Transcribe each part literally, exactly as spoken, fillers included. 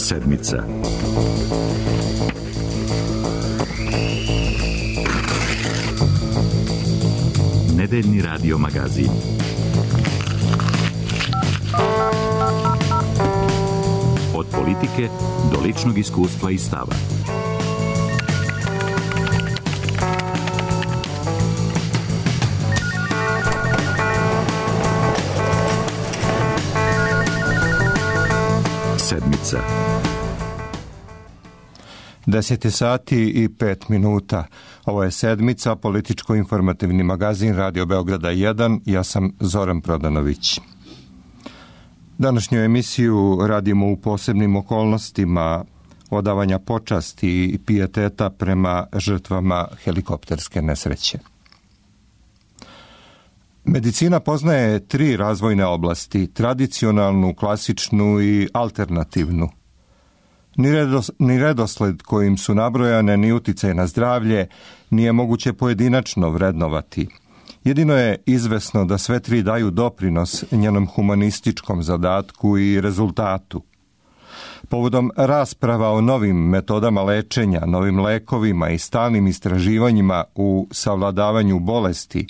Sedmica. Nedeljni radio magazin. Od politike do ličnog iskustva i stava. Sedmica. Deset je sati i pet minuta. Ovo je Sedmica, političko-informativni magazin Radio Beograda jedan. Ja sam Zoran Prodanović. Današnju emisiju radimo u posebnim okolnostima odavanja počasti i pijeteta prema žrtvama helikopterske nesreće. Medicina poznaje tri razvojne oblasti, tradicionalnu, klasičnu i alternativnu. Ni, redos, ni redosled kojim su nabrojane, ni uticaj na zdravlje nije moguće pojedinačno vrednovati. Jedino je izvesno da sve tri daju doprinos njenom humanističkom zadatku i rezultatu. Povodom rasprava o novim metodama lečenja, novim lekovima i stalnim istraživanjima u savladavanju bolesti,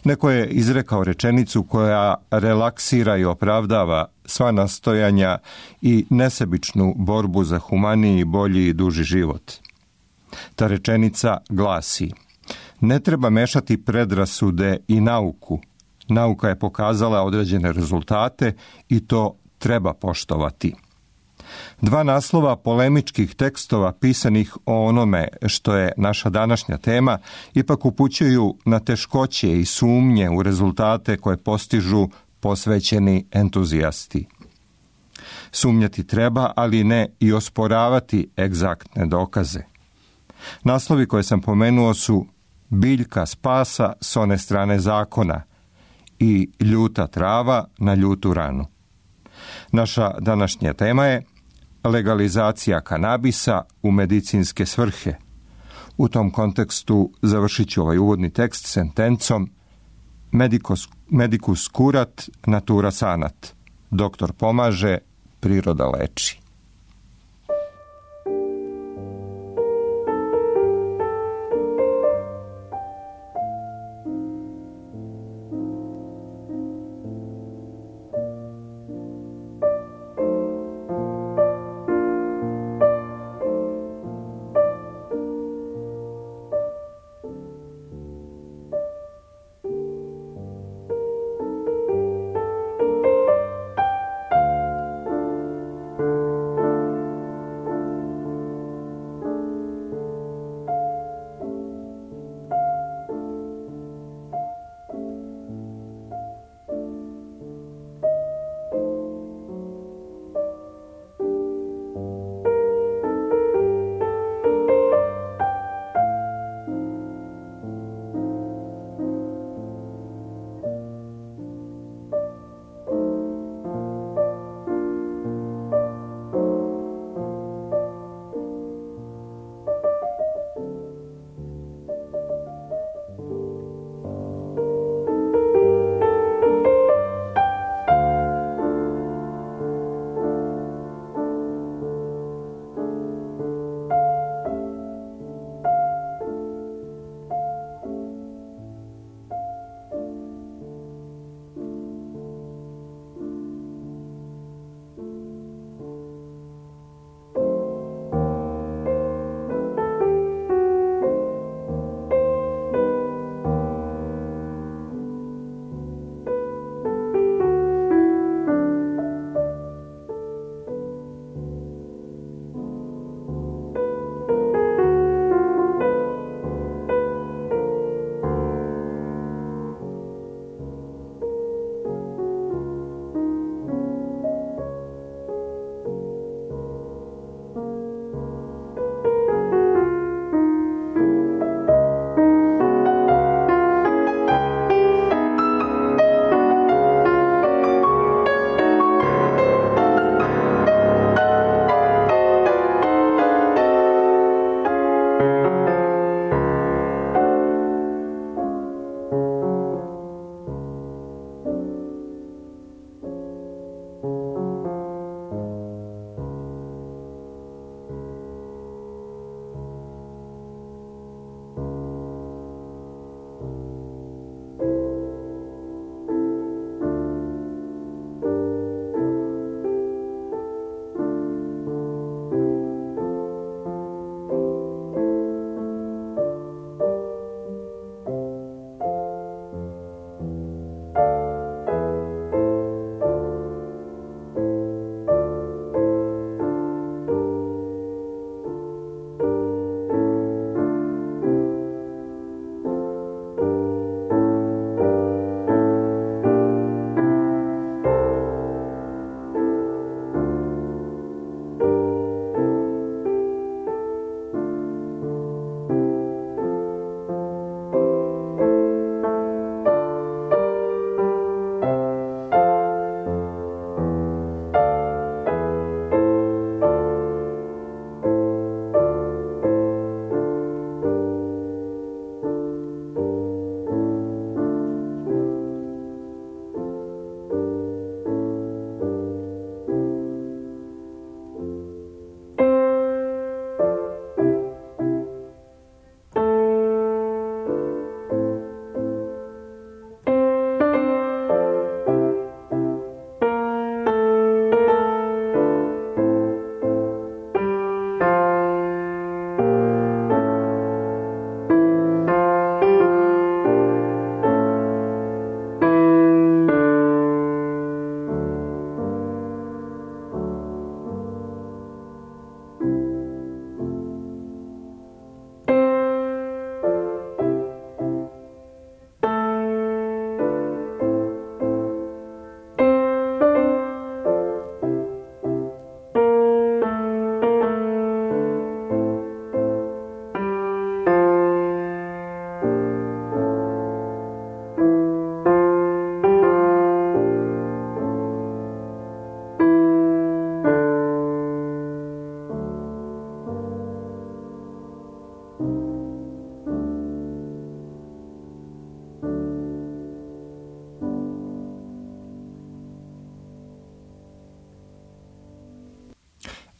neko je izrekao rečenicu koja relaksira i opravdava sva nastojanja i nesebičnu borbu za humaniji, bolji i duži život. Ta rečenica glasi: ne treba mešati predrasude i nauku. Nauka je pokazala određene rezultate i to treba poštovati. Dva naslova polemičkih tekstova pisanih o onome što je naša današnja tema ipak upućuju na teškoće i sumnje u rezultate koje postižu posvećeni entuzijasti. Sumnjati treba, ali ne i osporavati egzaktne dokaze. Naslovi koje sam pomenuo su Biljka spasa s one strane zakona i Ljuta trava na ljutu ranu. Naša današnja tema je legalizacija kanabisa u medicinske svrhe. U tom kontekstu završit ću ovaj uvodni tekst sentencom Medicus, medicus curat, natura sanat. Doktor pomaže, priroda leči.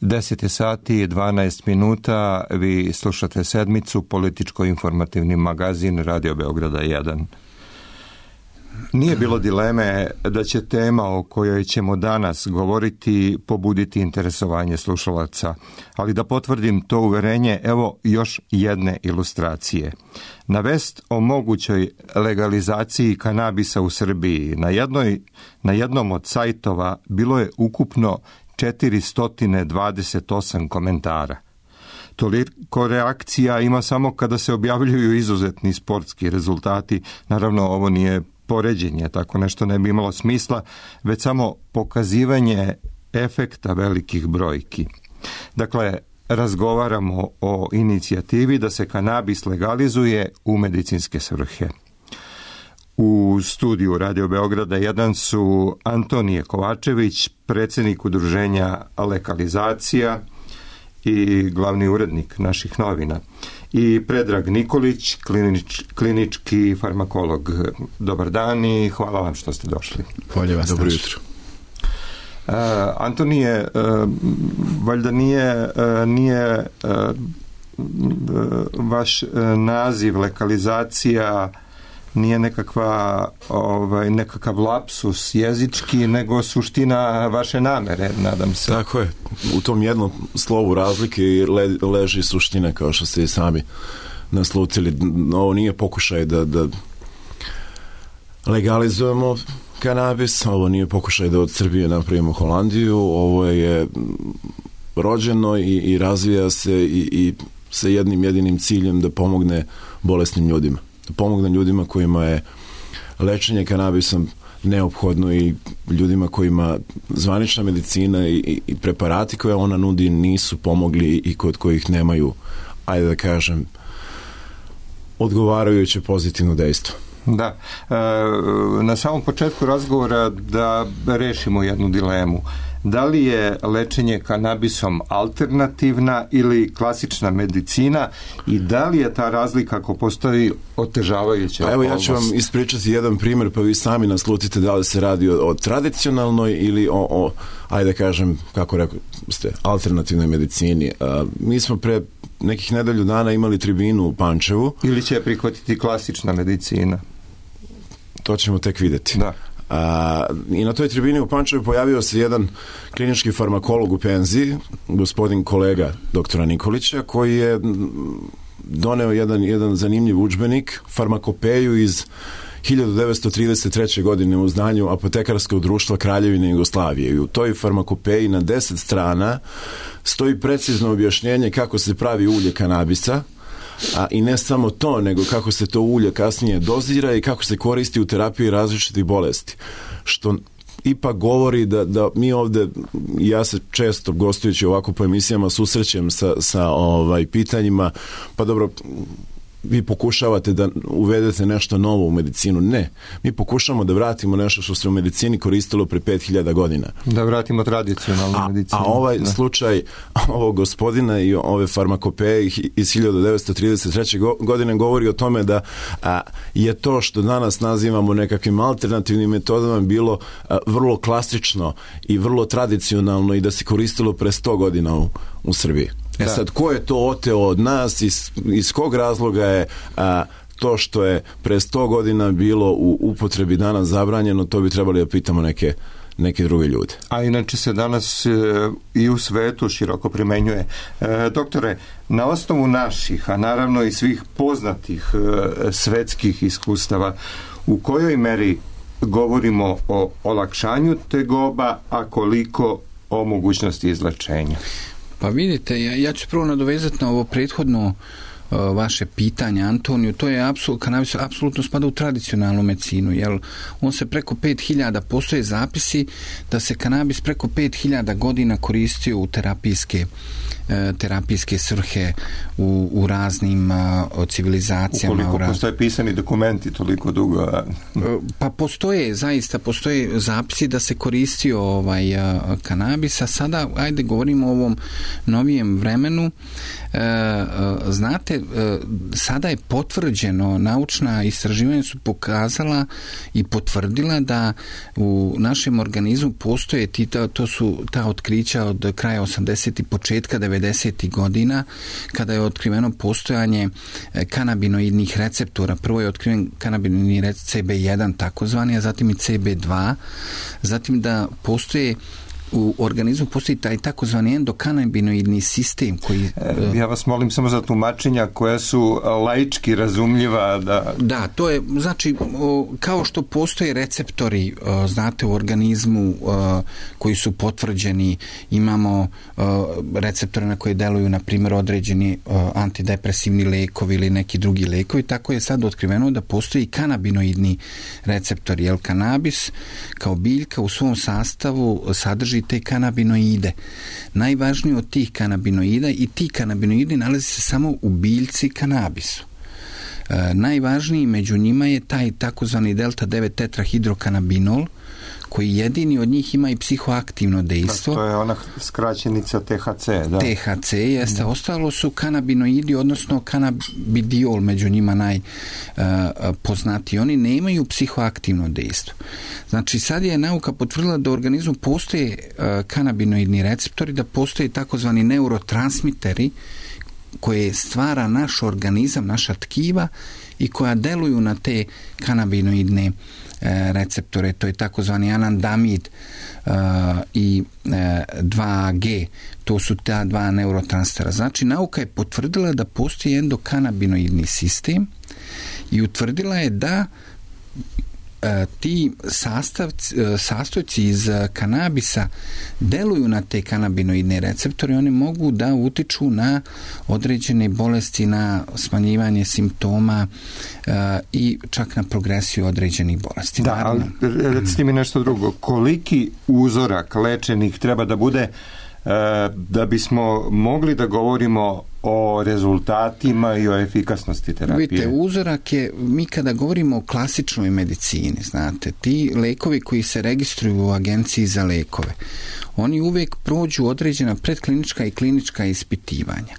deset je sati i dvanaest minuta, vi slušate Sedmicu, političko-informativni magazin Radio Beograda jedan. Nije bilo dileme da će tema o kojoj ćemo danas govoriti pobuditi interesovanje slušalaca, ali da potvrdim to uverenje, evo još jedne ilustracije. Na vest o mogućoj legalizaciji kanabisa u Srbiji na, jednoj, na jednom od sajtova bilo je ukupno četiristo dvadeset osam komentara. Toliko reakcija ima samo kada se objavljuju izuzetni sportski rezultati. Naravno, ovo nije poređenje, tako nešto ne bi imalo smisla, već samo pokazivanje efekta velikih brojki. Dakle, razgovaramo o inicijativi da se kanabis legalizuje u medicinske svrhe. U studiju Radio Beograda jedan su Antonije Kovačević, predsjednik udruženja Legalizacija i glavni urednik naših novina, i Predrag Nikolić, klinič, klinički farmakolog. Dobar dan i hvala vam što ste došli. Bolje vas. Dobro jutro. Uh, Antonije, uh, valjda nije, uh, nije uh, vaš uh, naziv legalizacija nije nekakva, ovaj, nekakav lapsus jezički, nego suština vaše namere, nadam se. Tako je. U tom jednom slovu razlike le, leži suština, kao što ste i sami naslutili. Ovo nije pokušaj da, da legalizujemo kanabis, ovo nije pokušaj da od Srbije napravimo Holandiju, ovo je rođeno i, i razvija se i, i sa jednim jedinim ciljem da pomogne bolesnim ljudima. Da pomogne ljudima kojima je lečenje kanabisom neophodno i ljudima kojima zvanična medicina i, i preparati koje ona nudi nisu pomogli i kod kojih nemaju, ajde da kažem, odgovarajuće pozitivno dejstvo. Da. E, na samom početku razgovora da rešimo jednu dilemu. Da li je lečenje kanabisom alternativna ili klasična medicina i da li je ta razlika, ako postoji, otežavajuća okolnost? Evo, ja ću vam ispričati jedan primjer, pa vi sami naslutite da li se radi o, o tradicionalnoj ili o, o, ajde da kažem, kako rekao ste, alternativnoj medicini. A, mi smo pre nekih nedelju dana imali tribinu u Pančevu. Ili će prihvatiti klasična medicina? To ćemo tek vidjeti. Da. A, i na toj tribini u Pančevu pojavio se jedan klinički farmakolog u penziji, gospodin kolega doktora Nikolića, koji je doneo jedan, jedan zanimljiv udžbenik, farmakopeju iz hiljadu devetsto trideset treće. godine u zdanju Apotekarskog društva Kraljevine Jugoslavije. I u toj farmakopeji na deset strana stoji precizno objašnjenje kako se pravi ulje kanabisa, a i ne samo to, nego kako se to ulje kasnije dozira i kako se koristi u terapiji različitih bolesti. Što ipak govori da, da mi ovde, ja se često gostujući ovako po emisijama susrećem sa, sa ovaj, pitanjima, pa dobro, vi pokušavate da uvedete nešto novo u medicinu. Ne. Mi pokušamo da vratimo nešto što se u medicini koristilo pre pet hiljada godina. Da vratimo tradicionalnu a, medicinu. A ovaj da. slučaj ovog gospodina i ove farmakopeje iz hiljadu devetsto trideset treće. godine govori o tome da a, je to što danas nazivamo nekakvim alternativnim metodama bilo a, vrlo klasično i vrlo tradicionalno i da se koristilo pre sto godina u, u Srbiji. E da. Sad, ko je to oteo od nas, iz, iz kog razloga je a, to što je pre sto godina bilo u upotrebi danas zabranjeno, to bi trebali da pitamo neke, neke druge ljude. A inače se danas e, i u svetu široko primenjuje. E, doktore, na osnovu naših, a naravno i svih poznatih e, svetskih iskustava, u kojoj meri govorimo o olakšanju tegoba, a koliko o mogućnosti izlečenja? Pa vidite, ja, ja ću prvo nadovezati na ovo prethodno uh, vaše pitanje, Antoniju. To je apsolutno, kanabis apsolutno spada u tradicionalnu medicinu, jer on se preko pet hiljada, postoje zapisi da se kanabis preko pet hiljada godina koristio u terapijske terapijske svrhe u, u raznim uh, civilizacijama. Ukoliko raz... postoje pisani dokumenti toliko dugo? A... Pa postoje, zaista postoje zapisi da se koristio ovaj, uh, kanabis, a sada, ajde, govorimo o ovom novijem vremenu. Uh, uh, znate, znate, sada je potvrđeno, naučna istraživanja su pokazala i potvrdila da u našem organizmu postoje ti, to su ta otkrića od kraja osamdesetih i početka devedesetih godina, kada je otkriveno postojanje kanabinoidnih receptora. Prvo je otkriven kanabinoidni recept C B jedan takozvani, a zatim i C B dva. Zatim da postoje u organizmu postoji taj takozvani endokanabinoidni sistem koji... Ja vas molim samo za tumačenja koja su laički razumljiva. Da, da to je, znači, kao što postoje receptori, znate, u organizmu koji su potvrđeni, imamo receptore na koje deluju, na primjer, određeni antidepresivni lekovi ili neki drugi lekovi, tako je sad otkriveno da postoji kanabinoidni receptori, jer kanabis kao biljka u svom sastavu sadrži te kanabinoide. Najvažniji od tih kanabinoida i ti kanabinoidi nalazi se samo u biljci kanabisu. E, najvažniji među njima je taj takozvani delta devet tetrahidrokanabinol, koji jedini od njih ima i psihoaktivno dejstvo. To je ona skraćenica T H C. Da. T H C jeste. Da. Ostalo su kanabinoidi, odnosno kanabidiol, među njima najpoznatiji. Uh, Oni nemaju psihoaktivno dejstvo. Znači, sad je nauka potvrdila da u organizmu postoje uh, kanabinoidni receptori, da postoje takozvani neurotransmiteri koje stvara naš organizam, naša tkiva i koja deluju na te kanabinoidne receptore, to je takozvani anandamid uh, i uh, dva G, to su ta dva neurotransmitera. Znači, nauka je potvrdila da postoji endokanabinoidni sistem i utvrdila je da ti sastavci, sastojci iz kanabisa deluju na te kanabinoidne receptore i oni mogu da utiču na određene bolesti, na smanjivanje simptoma uh, i čak na progresiju određenih bolesti. Da, ali recite mi nešto drugo. Koliki uzorak lečenih treba da bude uh, da bismo mogli da govorimo o rezultatima i o efikasnosti terapije? Vidite, uzorak je, mi kada govorimo o klasičnoj medicini, znate, ti lekovi koji se registruju u agenciji za lekove, oni uvijek prođu određena predklinička i klinička ispitivanja.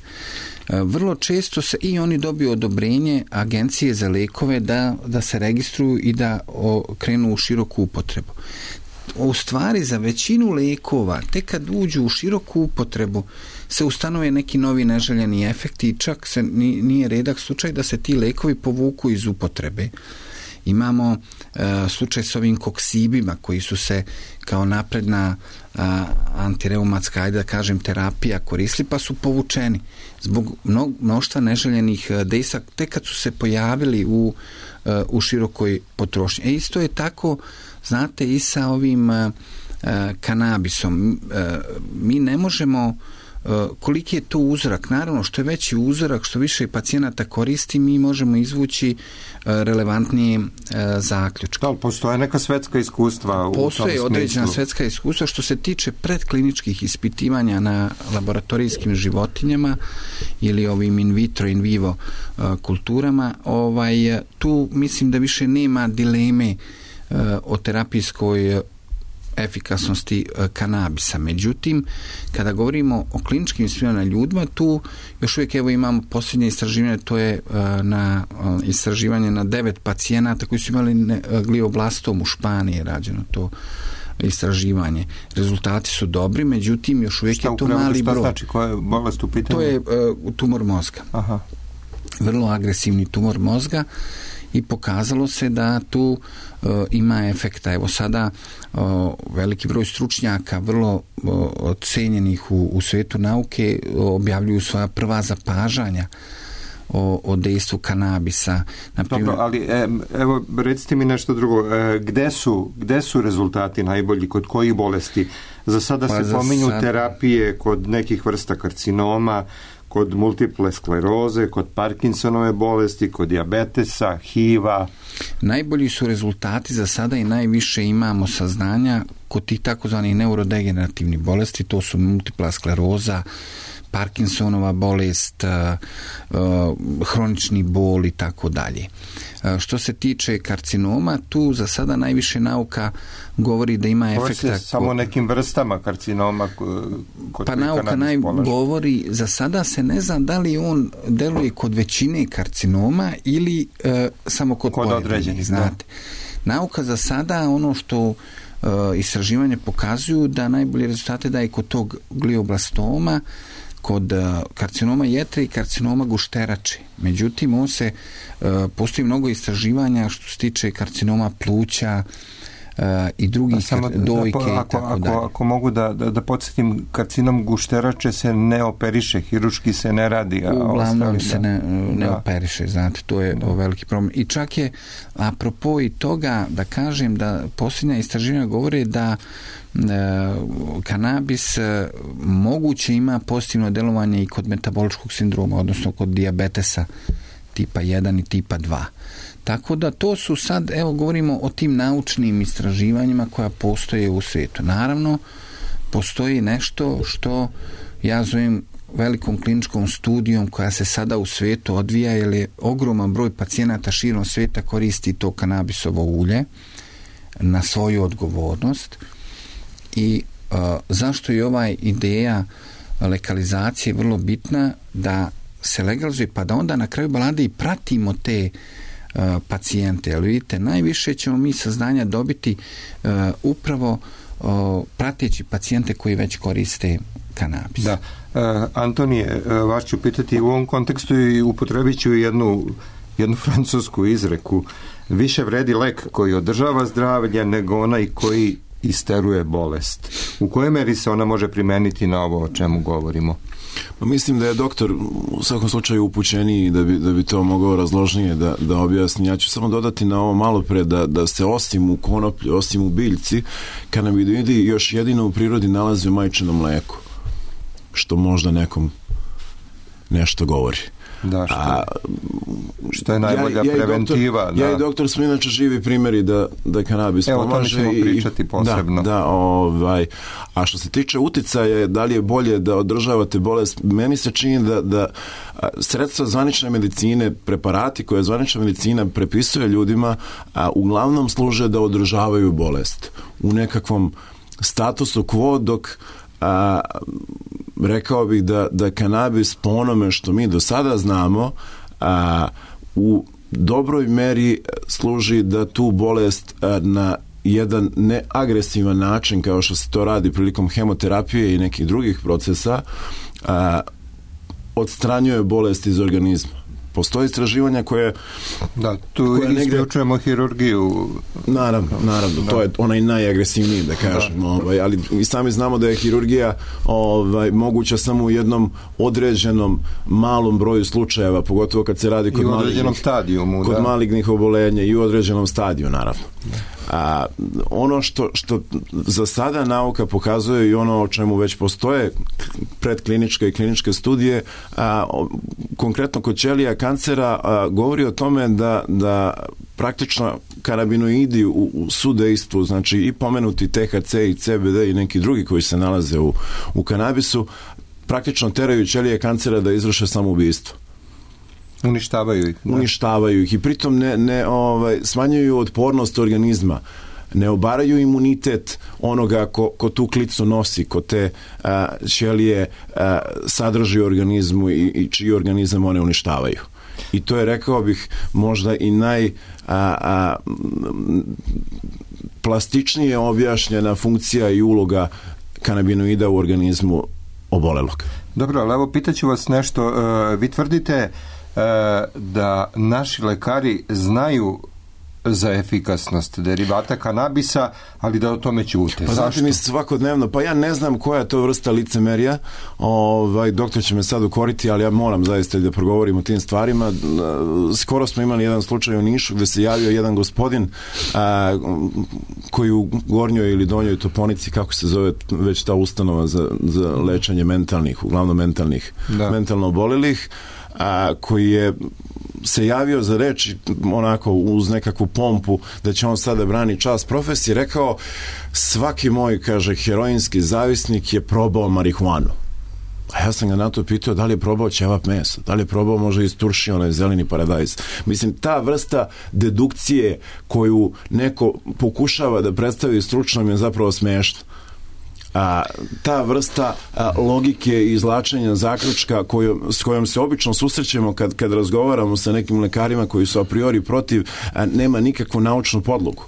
Vrlo često se i oni dobiju odobrenje agencije za lekove da, da se registruju i da o, krenu u široku upotrebu. U stvari, za većinu lekova, tek kad uđu u široku upotrebu, se ustanove neki novi neželjeni efekti i čak se nije redak slučaj da se ti lekovi povuku iz upotrebe. Imamo uh, slučaj s ovim koksibima koji su se kao napredna uh, antireumatska, ajde da kažem, terapija koristili, pa su povučeni zbog mno, mnoštva neželjenih dejstva tek kad su se pojavili u, uh, u širokoj potrošnji. E isto je tako, znate, i sa ovim uh, kanabisom. Uh, mi ne možemo koliki je to uzorak. Naravno, što je veći uzorak, što više pacijenata koristi, mi možemo izvući relevantnije zaključke. Da, postoje neka svetska iskustva u tom smislu? Postoje određena svetska iskustva što se tiče predkliničkih ispitivanja na laboratorijskim životinjama ili ovim in vitro, in vivo kulturama. Ovaj, tu mislim da više nema dileme o terapijskoj efikasnosti kanabisa. Međutim, kada govorimo o kliničkim ispitivanjima na ljudima, tu još uvijek evo imamo posljednje istraživanje, to je na istraživanje na devet pacijenata koji su imali glioblastom u Španiji rađeno to istraživanje. Rezultati su dobri, međutim još uvijek šta je to mali broj. Šta znači? Koja je bolest u pitanju? To je uh, tumor mozga. Aha. Vrlo agresivni tumor mozga i pokazalo se da tu uh, ima efekta. Evo sada uh, veliki broj stručnjaka vrlo uh, cenjenih u, u svijetu nauke uh, objavljuju svoja prva zapažanja o, o dejstvu kanabisa. Naprimjer, dobro, ali e, evo recite mi nešto drugo. E, gde su, gde su rezultati najbolji? Kod kojih bolesti? Za sada pa se pominju sad... terapije kod nekih vrsta karcinoma, kod multiple skleroze, kod Parkinsonove bolesti, kod dijabetesa, H I V-a. Najbolji su rezultati za sada i najviše imamo saznanja kod tih takozvanih neurodegenerativnih bolesti, to su multipla skleroza, Parkinsonova bolest, hronični bol i tako dalje. Što se tiče karcinoma, tu za sada najviše nauka govori da ima efekta... Govori se samo o nekim vrstama karcinoma kod pa nauka naj govori, za sada se ne zna da li on deluje kod većine karcinoma ili e, samo kod, kod određenih, znate. Da. Nauka za sada, ono što e, istraživanje pokazuju, da najbolje rezultate daje kod tog glioblastoma, kod karcinoma jetre i karcinoma gušterače. Međutim, on se, postoji mnogo istraživanja što se tiče karcinoma pluća i drugih samo, dojke da, i ako, tako ako, dalje. Ako mogu da, da, da podsjetim, karcinom gušterače se ne operiše, hiruški se ne radi. A uglavnom ostavi, se ne, ne da. operiše, znate, to je da. veliki problem. I čak je, apropo i toga, da kažem da posljednja istraživanja govore da e, kanabis e, moguće ima pozitivno delovanje i kod metaboličkog sindroma, odnosno kod dijabetesa tipa jedan i tipa dva. Tako da to su sad, evo govorimo o tim naučnim istraživanjima koja postoje u svijetu. Naravno, postoji nešto što ja zovem velikom kliničkom studijom koja se sada u svijetu odvija, jer je ogroman broj pacijenata širom svijeta koristi to kanabisovo ulje na svoju odgovornost. I uh, zašto je ova ideja legalizacije vrlo bitna, da se legalizuje, pa da onda na kraju balade i pratimo te uh, pacijente. Ali vidite, najviše ćemo mi saznanja dobiti uh, upravo uh, prateći pacijente koji već koriste kanabis. Da. Uh, Antonije, uh, vas ću pitati u ovom kontekstu i upotrebit ću jednu, jednu francusku izreku. Više vredi lek koji održava zdravlje nego onaj koji isteruje bolest. U kojoj meri se ona može primeniti na ovo o čemu govorimo? Pa mislim da je doktor u svakom slučaju upućeniji da bi, da bi to mogao razložnije da, da objasni. Ja ću samo dodati na ovo malo pre da, da se osim u konoplji, osim u biljci, kanabinoidi još jedino u prirodi nalazi u majčinom mleku, što možda nekom nešto govori. Da, što, A, što je najbolja ja, ja preventiva. Doktor, ja i doktor smo inače živi primjeri da, da kanabis Evo, pomaže. Evo, to ćemo pričati posebno. Da, da, ovaj, a što se tiče uticaja, da li je bolje da održavate bolest, meni se čini da, da sredstva zvanične medicine, preparati koje zvanična medicina prepisuje ljudima, a, uglavnom služe da održavaju bolest u nekakvom statusu quo, dok a, rekao bih da, da kanabis po onome što mi do sada znamo a, u dobroj meri služi da tu bolest a, na jedan neagresivan način, kao što se to radi prilikom hemoterapije i nekih drugih procesa, a, odstranjuje bolest iz organizma. Postoje istraživanja koje... Da, tu isključujemo negde... hirurgiju. Naravno, naravno, da. To je onaj najagresivniji, da kažem, da. Ovaj, ali i sami znamo da je hirurgija ovaj, moguća samo u jednom određenom malom broju slučajeva, pogotovo kad se radi kod, u određenom stadijumu, kod da. malignih oboljenja i u određenom stadiju, naravno. Da. A, ono što, što za sada nauka pokazuje i ono o čemu već postoje predkliničke i kliničke studije, a, o, konkretno kod ćelija kancera, a, govori o tome da, da praktično kanabinoidi u, u sudejstvu, znači i pomenuti T H C i C B D i neki drugi koji se nalaze u, u kanabisu, praktično teraju ćelije kancera da izvrše samoubistvo. Uništavaju ih. Da. Uništavaju ih i pritom ne, ne ovaj, smanjuju otpornost organizma, ne obaraju imunitet onoga ko, ko tu klicu nosi, ko te a, ćelije a, sadrži u organizmu i, i čiji organizam one uništavaju. I to je, rekao bih, možda i naj a, a, plastičnije objašnjena funkcija i uloga kanabinoida u organizmu obolelog. Dobro, ali evo pitaću vas nešto. Uh, vi tvrdite da naši lekari znaju za efikasnost derivata kanabisa, ali da o tome ćute. Pa znate mi svakodnevno, pa ja ne znam koja je to vrsta licemerija, ovaj, doktor će me sad ukoriti, ali ja moram zaista da progovorim o tim stvarima. Skoro smo imali jedan slučaj u Nišu gde se javio jedan gospodin a, koji u Gornjoj ili Donjoj Toponici, kako se zove već ta ustanova za, za lečenje mentalnih, uglavnom mentalnih, da. mentalno obolelih, a, koji je se javio za reč onako uz nekakvu pompu da će on sada brani čast profesije, rekao svaki moj, kaže, heroinski zavisnik je probao marihuanu. A ja sam ga na to pitao da li je probao ćevap meso, da li je probao možda iz turšije onaj zeleni paradajz. Mislim, ta vrsta dedukcije koju neko pokušava da predstavi stručno mi je zapravo smešno. A, ta vrsta a, logike i izvlačenja zaključka koju, s kojom se obično susrećemo kad, kad razgovaramo sa nekim lekarima koji su a priori protiv, a, nema nikakvu naučnu podlogu.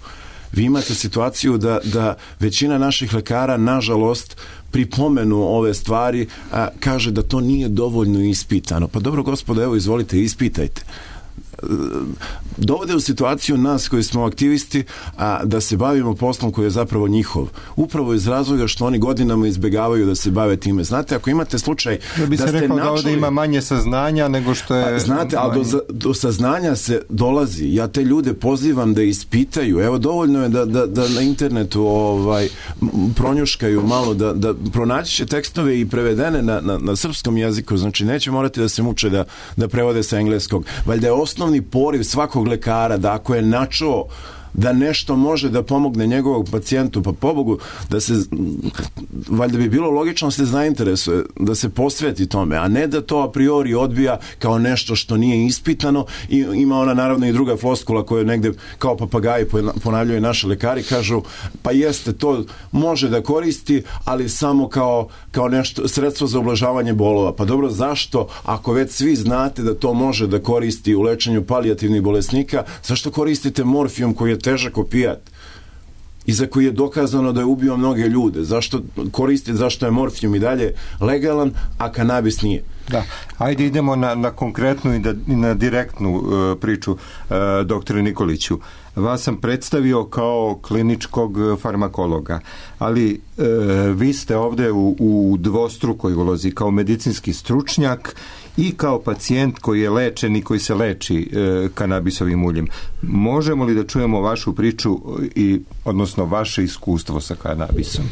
Vi imate situaciju da, da većina naših lekara, nažalost, pri pomenu ove stvari a, kaže da to nije dovoljno ispitano. Pa dobro, gospodo, evo, izvolite, ispitajte. Dovode u situaciju nas koji smo aktivisti a, da se bavimo poslom koji je zapravo njihov. Upravo iz razloga što oni godinama izbjegavaju da se bave time. Znate, ako imate slučaj da bi se da ste rekao načuli, da ovdje ima manje saznanja nego što je... A, znate, ali do, do saznanja se dolazi. Ja te ljude pozivam da ispitaju. Evo, dovoljno je da, da, da na internetu ovaj, pronjuškaju malo, da, da pronaći će tekstove i prevedene na, na, na srpskom jeziku. Znači, neće morati da se muče da, da prevode sa engleskog. Valjda je osnovni poriv svakog lekara da ako je načuo da nešto može da pomogne njegovog pacijentu, pa pobogu da se, valjda bi bilo logično da se zainteresuje, da se posveti tome, a ne da to a priori odbija kao nešto što nije ispitano. I ima ona naravno i druga floskula koju negde kao papagaji ponavljaju naši lekari, kažu pa jeste, to može da koristi, ali samo kao, kao nešto, sredstvo za ublažavanje bolova. Pa dobro, zašto, ako već svi znate da to može da koristi u lečenju palijativnih bolesnika, zašto koristite morfijum koji je težak opijat i za koji je dokazano da je ubio mnoge ljude? Zašto koristiti, zašto je morfijum i dalje legalan, a kanabis nije? Da, ajde idemo na, na konkretnu i, da, i na direktnu uh, priču, uh, doktore Nikoliću. Vas sam predstavio kao kliničkog farmakologa, ali uh, vi ste ovdje u, u dvostrukoj ulozi kao medicinski stručnjak i kao pacijent koji je lečen i koji se leči e, kanabisovim uljem. Možemo li da čujemo vašu priču i, odnosno, vaše iskustvo sa kanabisom?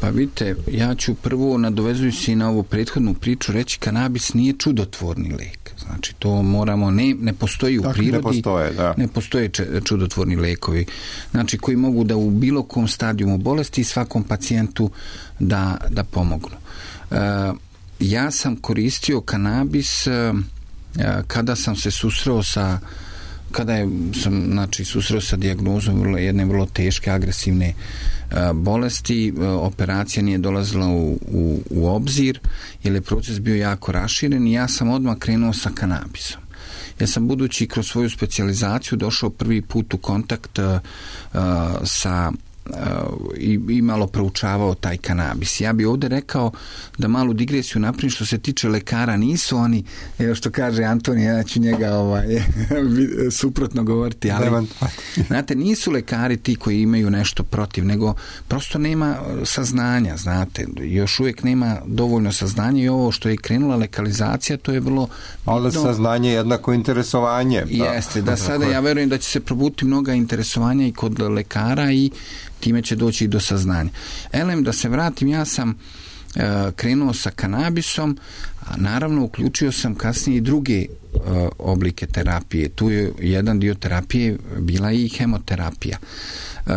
Pa vidite, ja ću prvo, nadovezujući na ovu prethodnu priču, reći kanabis nije čudotvorni lek. Znači, to moramo, ne, ne postoji u dakle, prirodi. Ne postoje, da. Ne postoje čudotvorni lekovi. Znači, koji mogu da u bilo kom stadijumu bolesti svakom pacijentu da, da pomognu. E, ja sam koristio kanabis e, kada sam se susreo sa kada je, sam znači, susreo sa dijagnozom vrlo, jedne vrlo teške agresivne a, bolesti, a, operacija nije dolazila u, u, u obzir, jer je proces bio jako raširen i ja sam odmah krenuo sa kanabisom. Ja sam, budući kroz svoju specijalizaciju, došao prvi put u kontakt a, a, sa i, i malo proučavao taj kanabis. Ja bih ovdje rekao da malu digresiju napravim, što se tiče lekara, nisu oni, evo što kaže Antonija, ja ću njega ovaj, suprotno govoriti, ali znate, nisu lekari ti koji imaju nešto protiv, nego prosto nema saznanja, znate, još uvijek nema dovoljno saznanja i ovo što je krenula legalizacija, to je vrlo... Ali saznanje je jednako interesovanje. Da. Jeste, da sada ja verujem da će se probuti mnoga interesovanja i kod lekara i time će doći i do saznanja. Elem, da se vratim, ja sam e, krenuo sa kanabisom, a naravno uključio sam kasnije i druge e, oblike terapije. Tu je jedan dio terapije bila i hemoterapija. E,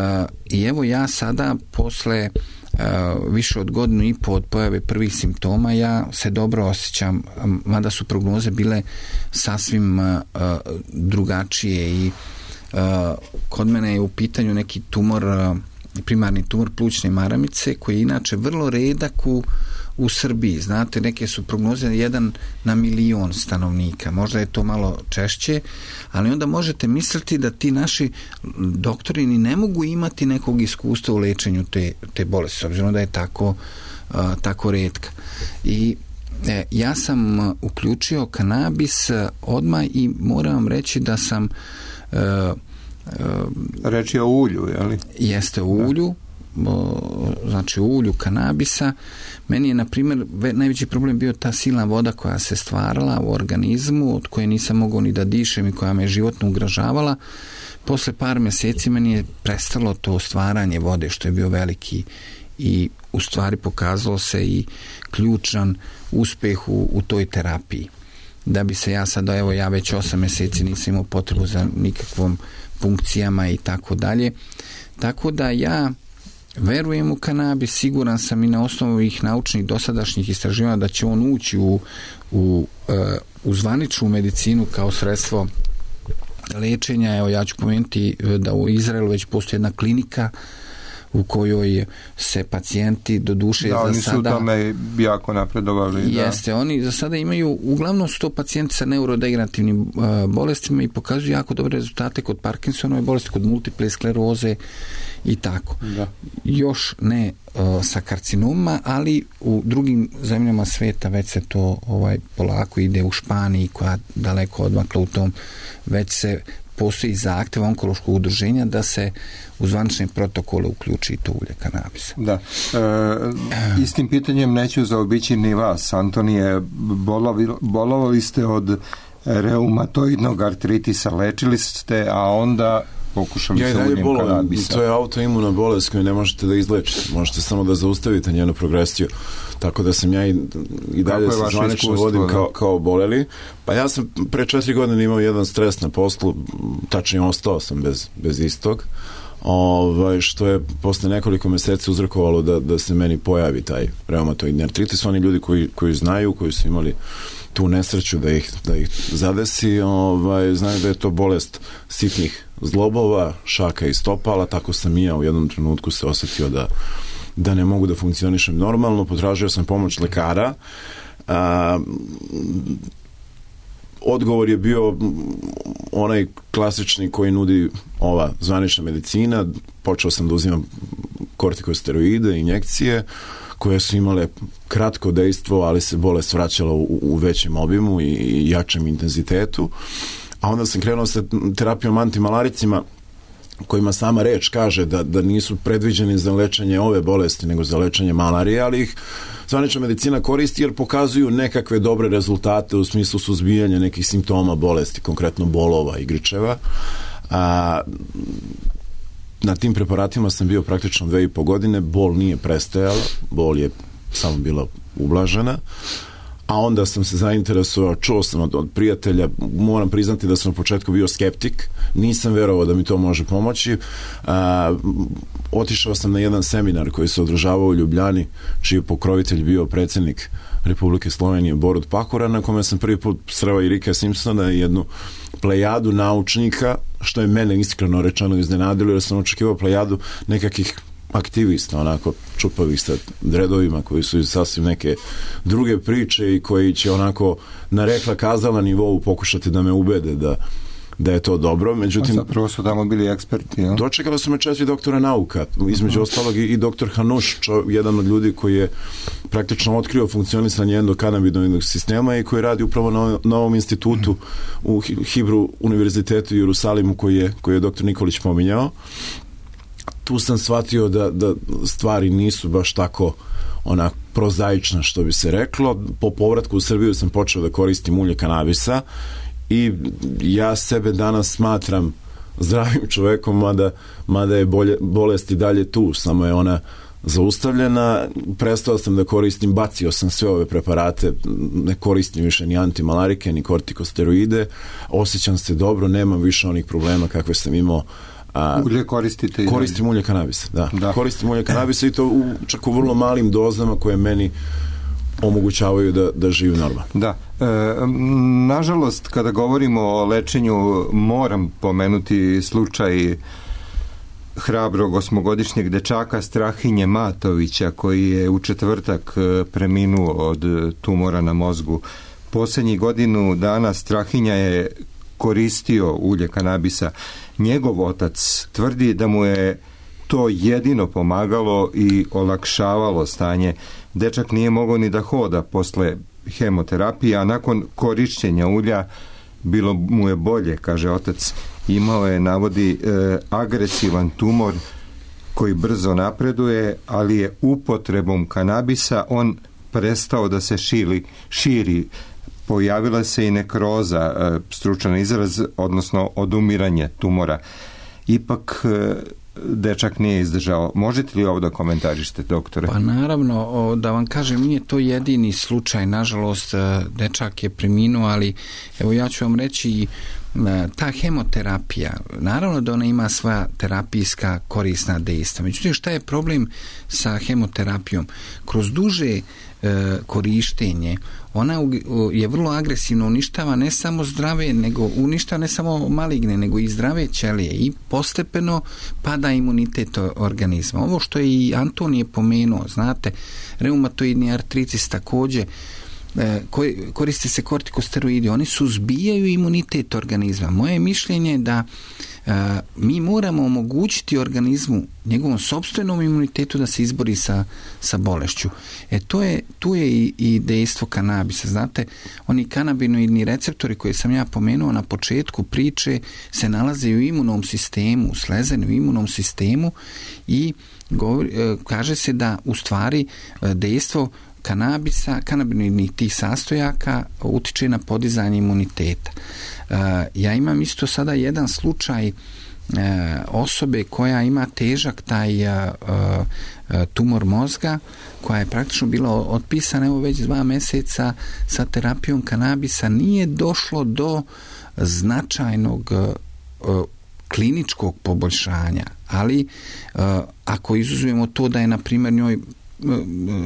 I evo ja sada, posle Uh, više od godinu i po od pojave prvih simptoma, ja se dobro osjećam, mada su prognoze bile sasvim uh, drugačije i uh, kod mene je u pitanju neki tumor, uh, primarni tumor plućne maramice, koji je inače vrlo redak u, u Srbiji. Znate, neke su prognoze jedan na milion stanovnika. Možda je to malo češće, ali onda možete misliti da ti naši doktori ni ne mogu imati nekog iskustva u lečenju te, te bolesti, s obzirom da je tako, uh, tako retka. I e, ja sam uključio kanabis odmah i moram vam reći da sam uh, reći o ulju, je li? Jeste, o ulju, znači o ulju kanabisa. Meni je, na primjer, najveći problem bio ta silna voda koja se stvarala u organizmu, od koje nisam mogao ni da dišem i koja me životno ugrožavala. Posle par mjeseci meni je prestalo to stvaranje vode, što je bio veliki i u stvari pokazalo se i ključan uspjeh u, u toj terapiji. Da bi se ja sad, evo ja već osam mjeseci nisam imao potrebu za nikakvom funkcijama i tako dalje. Tako da ja verujem u kanabis, siguran sam i na osnovu ovih naučnih dosadašnjih istraživanja da će on ući u, u, u zvaničnu medicinu kao sredstvo lečenja. Evo, ja ću pomenuti da u Izraelu već postoji jedna klinika u kojoj se pacijenti do duše da, za oni sada... su u tome jako napredovali. Jeste, da. Oni za sada imaju, uglavnom su to pacijenti sa neurodegenerativnim uh, bolestima i pokazuju jako dobre rezultate kod Parkinsonove bolesti, kod multiple skleroze i tako. Da. Još ne uh, sa karcinomima, ali u drugim zemljama sveta već se to ovaj polako ide. U Španiji, koja daleko odmakla u tom, već se postoji zahtjev onkološkog udruženja da se u zvanične protokole uključi to ulje kanabisa. Da. E, istim pitanjem neću zaobići ni vas, Antonije. Bolovi, bolovali ste od reumatoidnog artritisa, lečili ste, a onda pokušali ja sa uljem bolo, kanabisa. To je autoimuna bolest koju ne možete da izlečite. Možete samo da zaustavite njenu progresiju. Tako da sam ja i, i dalje se zvanično vodim kao, kao boleli. Pa ja sam pre četiri godine imao jedan stres na poslu, tačnije ostao sam bez, bez istog. Ovaj, što je posle nekoliko meseci uzrokovalo da, da se meni pojavi taj reumatoidni artritis. Oni ljudi koji, koji znaju, koji su imali tu nesreću da ih, da ih zadesi, ovaj, znaju da je to bolest sitnih zglobova, šaka i stopala. Tako sam i ja u jednom trenutku se osjetio da, da ne mogu da funkcionišem normalno. Potražio sam pomoć lekara. A, odgovor je bio onaj klasični koji nudi ova zvanična medicina. Počeo sam da uzimam kortikosteroide, injekcije, koje su imale kratko dejstvo, ali se bolest vraćala u, u većem obimu i, i jačem intenzitetu. A onda sam krenuo sa terapijom antimalaricima, kojima sama reč kaže da, da nisu predviđeni za lečenje ove bolesti, nego za lečenje malarije, ali ih zvanična medicina koristi jer pokazuju nekakve dobre rezultate u smislu suzbijanja nekih simptoma bolesti, konkretno bolova i grčeva. A, na tim preparatima sam bio praktično dve i po godine, bol nije prestajala, bol je samo bila ublažena, a onda sam se zainteresovao, čuo sam od, od prijatelja, moram priznati da sam u početku bio skeptik, nisam verovao da mi to može pomoći. A, otišao sam na jedan seminar koji se održavao u Ljubljani, čiji je pokrovitelj bio predsjednik Republike Slovenije Borut Pahora, na kome sam prvi put sreo i Ricka Simpsona i jednu plejadu naučnika, što je mene iskreno rečeno iznenadilo, jer sam očekivao plejadu nekakvih aktivista, onako čupavih sa dredovima koji su sasvim neke druge priče i koji će onako na rekla kazala nivou pokušati da me ubede da, da je to dobro. Međutim, zapravo su tamo bili eksperti, ja? Dočekali su me četiri doktora nauka, između uh-huh. ostalog i, i doktor Hanuš, čo, jedan od ljudi koji je praktično otkrio funkcionisanje endokannabinoidnog sistema i koji radi upravo na, na ovom institutu uh-huh. u Hibru univerzitetu u Jerusalimu koji je, koji je doktor Nikolić pominjao. Tu sam shvatio da, da stvari nisu baš tako onak prozaična, što bi se reklo. Po povratku u Srbiju sam počeo da koristim ulje kanabisa i ja sebe danas smatram zdravim čovekom, mada, mada je bolje, bolest i dalje tu, samo je ona zaustavljena. Prestao sam da koristim, bacio sam sve ove preparate, ne koristim više ni antimalarike, ni kortikosteroide, osjećam se dobro, nemam više onih problema kakve sam imao. A, ulje koristite? Koristim ulje kanabisa, da. da. Koristim ulje kanabisa i to u, čak u vrlo malim dozama koje meni omogućavaju da, da živim normalno. Da. E, nažalost, kada govorimo o lečenju, moram pomenuti slučaj hrabrog osmogodišnjeg dečaka Strahinje Matovića, koji je u četvrtak preminuo od tumora na mozgu. Posljednjih godinu dana Strahinja je koristio ulje kanabisa. Njegov otac tvrdi da mu je to jedino pomagalo i olakšavalo stanje. Dečak nije mogao ni da hoda posle hemoterapije, a nakon korišćenja ulja bilo mu je bolje, kaže otac. Imao je, navodi, e, agresivan tumor koji brzo napreduje, ali je upotrebom kanabisa on prestao da se širi, širi. Pojavila se i nekroza, stručan izraz, odnosno odumiranje tumora. Ipak dečak nije izdržao. Možete li ovo da komentarište, doktore? Pa naravno, da vam kažem, nije to jedini slučaj. Nažalost, dečak je preminuo, ali evo ja ću vam reći ta hemoterapija, naravno da ona ima svoja terapijska korisna dejstva. Međutim, šta je problem sa hemoterapijom? Kroz duže e, korištenje ona je vrlo agresivno uništava ne samo zdrave, nego uništava ne samo maligne, nego i zdrave ćelije i postepeno pada imunitet organizma. Ovo što je i Antonije pomenuo, znate, reumatoidni artritis također, koriste se kortikosteroidi, oni suzbijaju imunitet organizma. Moje mišljenje je da uh, mi moramo omogućiti organizmu, njegovom sopstvenom imunitetu da se izbori sa, sa bolešću. E to je, tu je i, i dejstvo kanabisa. Znate, oni kanabinoidni receptori koje sam ja pomenuo na početku priče se nalaze u imunom sistemu, slezeni u imunom sistemu i govori, uh, kaže se da u stvari uh, dejstvo kanabisa, kanabinoidnih tih sastojaka utiče na podizanje imuniteta. Uh, ja imam isto sada jedan slučaj uh, osobe koja ima težak taj uh, uh, tumor mozga, koja je praktično bila otpisana evo već dva mjeseca sa terapijom kanabisa. Nije došlo do značajnog uh, kliničkog poboljšanja, ali uh, ako izuzmemo to da je na primjer njoj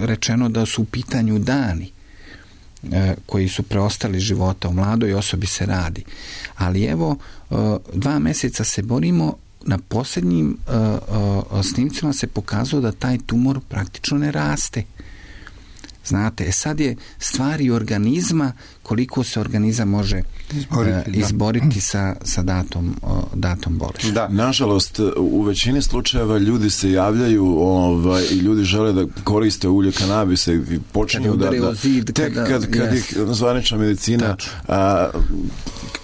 rečeno da su u pitanju dani e, koji su preostali života, u mladoj osobi se radi. Ali evo, e, dva mjeseca se borimo, na posljednjim e, e, snimcima se pokazalo da taj tumor praktično ne raste. Znate, sad je stvari organizma, koliko se organizam može izboriti, uh, izboriti sa, sa datom, uh, datom bolesti. Da. Nažalost, u većini slučajeva ljudi se javljaju ovaj, i ljudi žele da koriste ulje kanabisa i počinju da, da zid, tek kada, kad, kad yes. ih zvanična medicina a,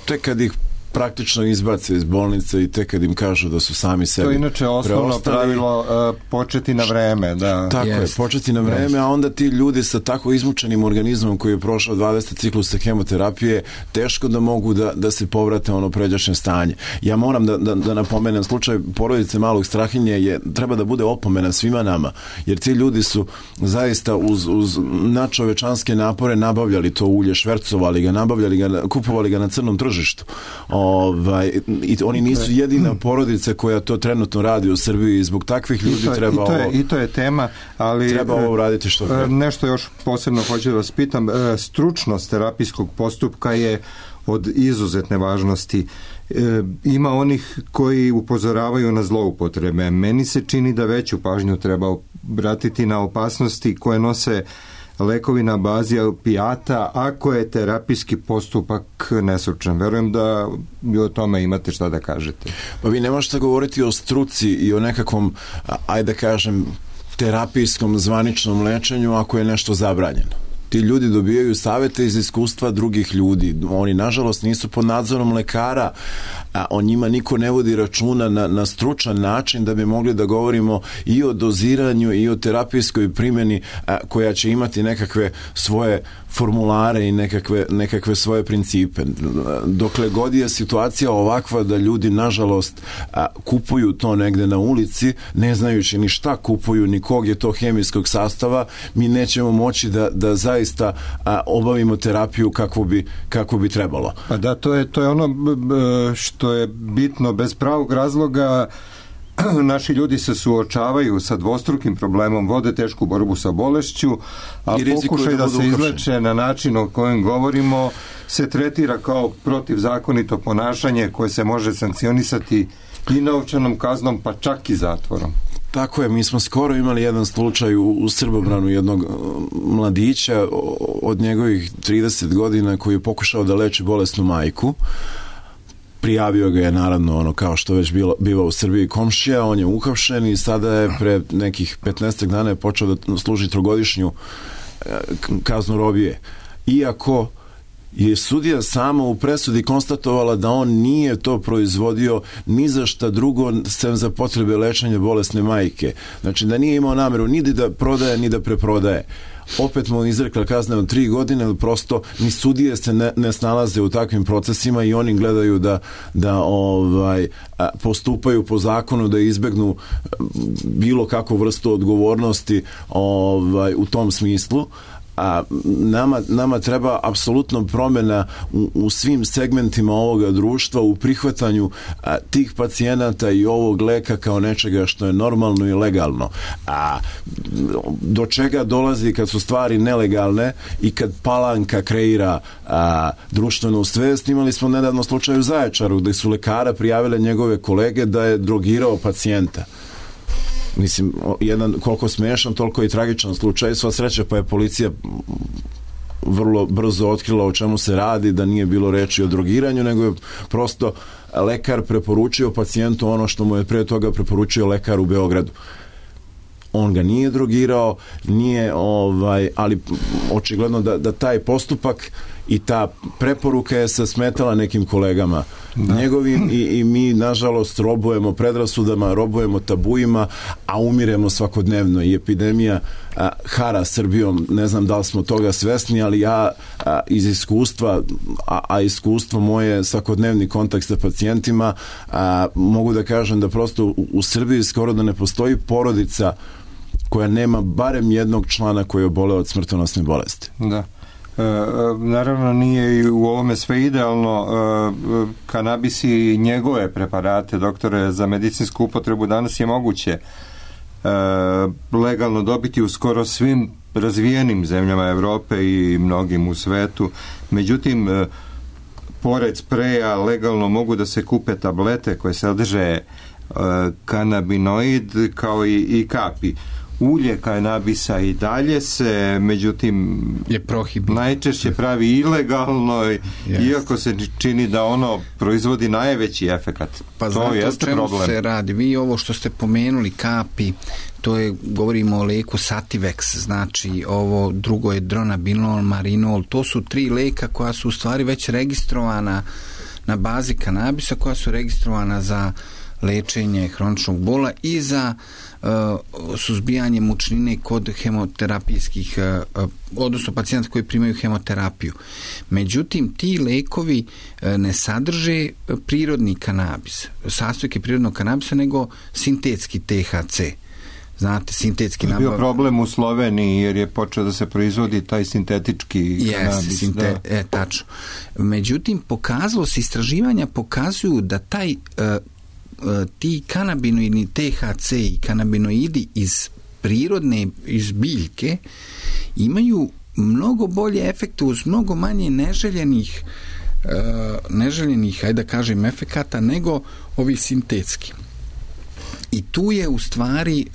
tek kad ih praktično izbace iz bolnice i tek kad im kažu da su sami sebi to je inače osnovno preostali. Pravilo uh, početi na vreme. Da. Tako yes. je, početi na vreme, yes. a onda ti ljudi sa tako izmučenim organizmom koji je prošao dvadeset ciklusa hemoterapije, teško da mogu da, da se povrate ono pređašnje stanje. Ja moram da, da, da napomenem slučaj porodice Malog Strahinje je, treba da bude opomena svima nama, jer ti ljudi su zaista uz, uz nadčovečanske napore nabavljali to ulje, švercovali ga, nabavljali ga, kupovali ga na crnom tržištu. Ovaj, i oni nisu jedina porodica koja to trenutno radi u Srbiji i zbog takvih ljudi I to, treba i to je, ovo i to je tema, ali treba ovo raditi što treba. Nešto još posebno hoću da vas pitam, stručnost terapijskog postupka je od izuzetne važnosti. Ima onih koji upozoravaju na zloupotrebe. Meni se čini da veću pažnju treba obratiti na opasnosti koje nose lekovi na bazi opijata ako je terapijski postupak nestručan. Verujem da i o tome imate šta da kažete. Pa vi ne možete govoriti o struci i o nekakvom, ajde da kažem, terapijskom zvaničnom lečenju ako je nešto zabranjeno. Ti ljudi dobijaju savete iz iskustva drugih ljudi. Oni, nažalost, nisu pod nadzorom lekara, a o njima niko ne vodi računa na, na stručan način da bi mogli da govorimo i o doziranju i o terapijskoj primjeni a, koja će imati nekakve svoje formulare i nekakve, nekakve svoje principe. Dokle god je situacija ovakva da ljudi, nažalost, a, kupuju to negde na ulici, ne znajući ni šta kupuju, ni kog je to hemijskog sastava, mi nećemo moći da, da zaista a, obavimo terapiju kako bi, kako bi trebalo. Pa da, to je, to je ono što je bitno. Bez pravog razloga naši ljudi se suočavaju sa dvostrukim problemom, vode tešku borbu sa bolešću, a pokušaj da, da se izleče na način o kojem govorimo se tretira kao protivzakonito ponašanje koje se može sankcionisati i novčanom kaznom, pa čak i zatvorom. Tako je, mi smo skoro imali jedan slučaj u, u Srbobranu jednog mladića od njegovih trideset godina koji je pokušao da leči bolesnu majku. Prijavio ga je naravno ono kao što već bilo, biva u Srbiji komšija, on je uhapšen i sada je pre nekih petnaest dana je počeo da služi trogodišnju kaznu robije. Iako je sudija sama u presudi konstatovala da on nije to proizvodio ni za šta drugo sem za potrebe lečenja bolesne majke. Znači da nije imao nameru ni da prodaje ni da preprodaje. Opet mu izrekla kazne od tri godine, ali prosto ni sudije se ne, ne snalaze u takvim procesima i oni gledaju da, da ovaj, postupaju po zakonu, da izbegnu bilo kakvu vrstu odgovornosti ovaj, u tom smislu. a, nama, nama treba apsolutno promjena u, u svim segmentima ovoga društva, u prihvatanju a, tih pacijenata i ovog leka kao nečega što je normalno i legalno. A do čega dolazi kad su stvari nelegalne i kad Palanka kreira a, društvenu svest? Imali smo nedavno slučaj u Zaječaru gdje su lekara prijavile njegove kolege da je drogirao pacijenta. Mislim, jedan koliko smiješan, toliko i tragičan slučaj. Sva sreća pa je policija vrlo brzo otkrila o čemu se radi, da nije bilo reči o drogiranju, nego je prosto lekar preporučio pacijentu ono što mu je pre toga preporučio lekar u Beogradu. On ga nije drogirao, nije, ovaj, ali očigledno da, da taj postupak i ta preporuka je se smetala nekim kolegama da. njegovim i, i mi nažalost robujemo predrasudama, robujemo tabuima, a umiremo svakodnevno i epidemija a, hara Srbijom. Ne znam da li smo toga svesni, ali ja a, iz iskustva, a, a iskustvo moje svakodnevni kontakt sa pacijentima, a, mogu da kažem da prosto u, u Srbiji skoro da ne postoji porodica koja nema barem jednog člana koji je oboleo od smrtonosne bolesti. Da. E, naravno nije i u ovome sve idealno. E, kanabis i njegove preparate, doktore, za medicinsku upotrebu danas je moguće e, legalno dobiti u skoro svim razvijenim zemljama Evrope i mnogim u svetu. Međutim, e, pored spreja legalno mogu da se kupe tablete koje sadrže e, kanabinoid kao i, i kapi. Ulje kanabisa i dalje se, međutim, je prohibirano. Najčešće pravi ilegalno, yes. iako se čini da ono proizvodi najveći efekat. Pa to jeste problem. Pa znate o čemu se radi? Vi ovo što ste pomenuli, kapi, to je, govorimo o leku Sativex, znači ovo drugo je Dronabinol, Marinol, to su tri leka koja su u stvari već registrovana na bazi kanabisa, koja su registrovana za lečenje hroničnog bola i za uh, suzbijanje mučnine kod hemoterapijskih, uh, odnosno pacijenta koji primaju hemoterapiju. Međutim, ti lekovi uh, ne sadrže prirodni kanabis, sastojke prirodnog kanabisa, nego sintetski T H C. Znate, sintetski nabav... bio problem u Sloveniji jer je počeo da se proizvodi taj sintetički yes, kanabis. Sinte... Da. E, tačno. Međutim, pokazalo se, istraživanja pokazuju da taj uh, ti kanabinoidni T H C i kanabinoidi iz prirodne, iz biljke imaju mnogo bolje efekte uz mnogo manje neželjenih neželjenih, ajde da kažem, efekata nego ovi sintetski. I tu je u stvari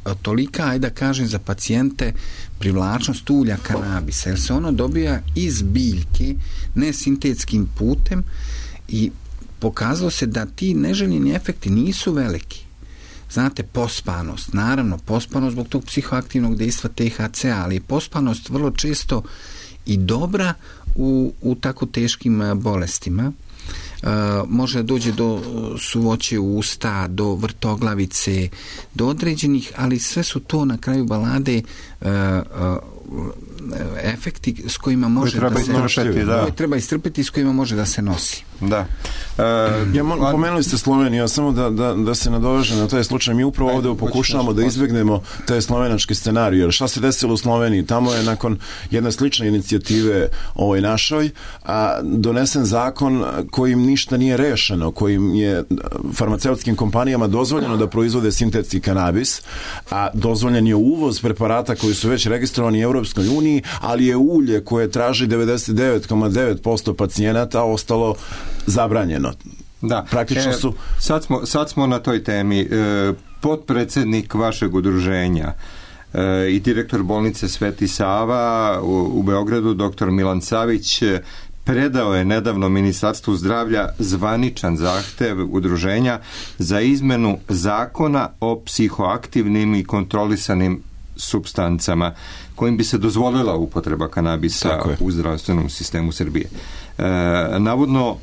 uh, tolika, ajde da kažem, za pacijente privlačnost ulja kanabisa, jer se ono dobija iz biljke, ne sintetskim putem, i pokazalo se da ti neželjeni efekti nisu veliki. Znate, pospanost, naravno, pospanost zbog tog psihoaktivnog dejstva T H C, ali je pospanost vrlo često i dobra u, u tako teškim bolestima. Uh, može dođe do suvoće usta, do vrtoglavice, do određenih, ali sve su to na kraju balade uh, uh, efekti s kojima može da se istrpeti, da. Koje treba istrpeti, s kojima može da se nosi. Da. E, ja, mo- pomenuli ste Sloveniju, samo da, da, da se nadovežem na taj slučaj. Mi upravo ovdje pokušavamo da izbjegnemo taj slovenački scenarij. Jer šta se desilo u Sloveniji? Tamo je nakon jedne slične inicijative ovoj našoj a, donesen zakon kojim ništa nije rešeno, kojim je farmaceutskim kompanijama dozvoljeno da proizvode sintetski kanabis, a dozvoljen je uvoz preparata koji su već registrovani u Europskoj uniji, ali je ulje koje traži devedeset devet zarez devet posto pacijenata ostalo zabranjeno. Da. Praktično su... E, sad, smo, sad smo na toj temi. E, potpredsjednik vašeg udruženja e, i direktor bolnice Sveti Sava u, u Beogradu, doktor Milan Savić, predao je nedavno Ministarstvu zdravlja zvaničan zahtev udruženja za izmenu zakona o psihoaktivnim i kontrolisanim supstancama kojim bi se dozvolila upotreba kanabisa u zdravstvenom sistemu Srbije. E, navodno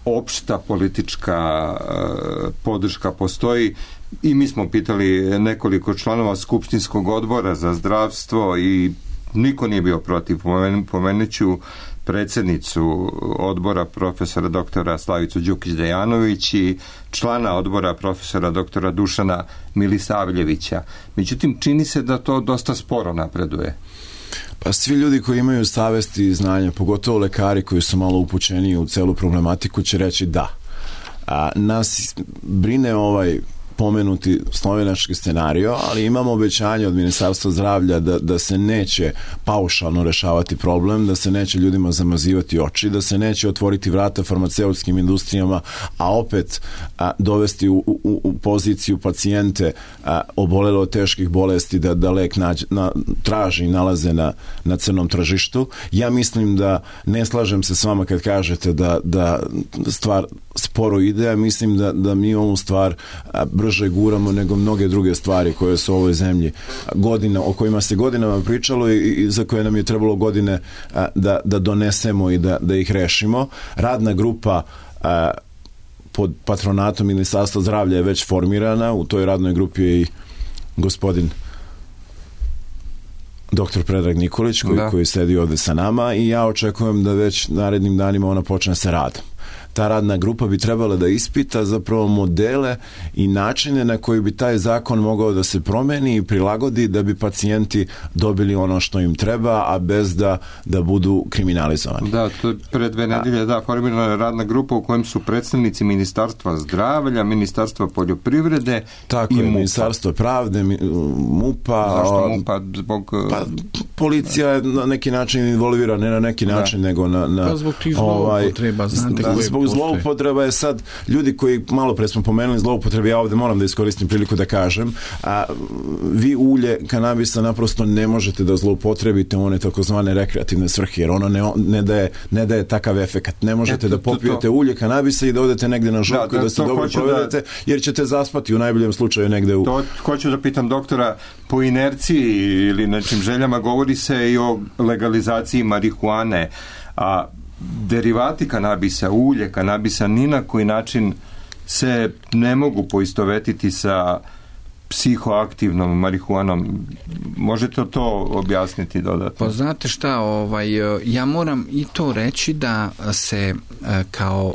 opšta politička e, podrška postoji i mi smo pitali nekoliko članova Skupštinskog odbora za zdravstvo i niko nije bio protiv. Pomenuću predsjednicu odbora profesora doktora Slavicu Đukić-Dejanović i člana odbora profesora doktora Dušana Milisavljevića. Međutim, čini se da to dosta sporo napreduje. Pa svi ljudi koji imaju savesti i znanja, pogotovo lekari koji su malo upućeni u celu problematiku, će reći da. A, nas brine ovaj pomenuti slovenački scenario, ali imamo obećanje od Ministarstva zdravlja da, da se neće paušalno rešavati problem, da se neće ljudima zamazivati oči, da se neće otvoriti vrata farmaceutskim industrijama, a opet a, dovesti u, u, u poziciju pacijente a, obolele od teških bolesti da, da lek nađe, na, traži i nalaze na, na crnom tržištu. Ja mislim da ne slažem se s vama kad kažete da, da stvar sporo ide, a mislim da, da mi ovu stvar a, brže guramo nego mnoge druge stvari koje su u ovoj zemlji godina, o kojima se godinama pričalo i, i za koje nam je trebalo godine a, da, da donesemo i da, da ih rešimo. Radna grupa a, pod patronatom Ministarstva zdravlja je već formirana. U toj radnoj grupi je i gospodin doktor Predrag Nikolić koji, koji sedi ovde sa nama i ja očekujem da već narednim danima ona počne sa radom. Ta radna grupa bi trebala da ispita zapravo modele i načine na koji bi taj zakon mogao da se promeni i prilagodi da bi pacijenti dobili ono što im treba, a bez da, da budu kriminalizovani. Da, to je pre dve nedelje da, formirana radna grupa u kojem su predstavnici Ministarstva zdravlja, Ministarstva poljoprivrede tako i je, MUP-a. Ministarstvo pravde, MUP-a. Zašto MUP-a? Zbog... Pa, policija je na neki način involvira, ne na neki način, da. nego na... na pa zbog tih zloupotreba, znate da, koje zbog zloupotreba je sad, ljudi koji malo pre smo pomenuli zloupotrebe, ja ovde moram da iskoristim priliku da kažem, a vi ulje kanabisa naprosto ne možete da zloupotrebite u one takozvane rekreativne svrhe, jer ono ne, ne, daje, ne daje takav efekat. Ne možete Eto, da popijete to, to. ulje kanabisa i da odete negde na žurku da, da, da se dobro provedete, da, jer ćete zaspati u najboljem slučaju negde u... To hoću da pitam doktora, po inerciji ili nečim željama govori se i o legalizaciji marihuane, a derivati kanabisa, ulje kanabisa ni na koji način se ne mogu poistovetiti sa psihoaktivnom marihuanom. Možete to objasniti dodatno? Pa znate šta, ovaj, ja moram i to reći da se kao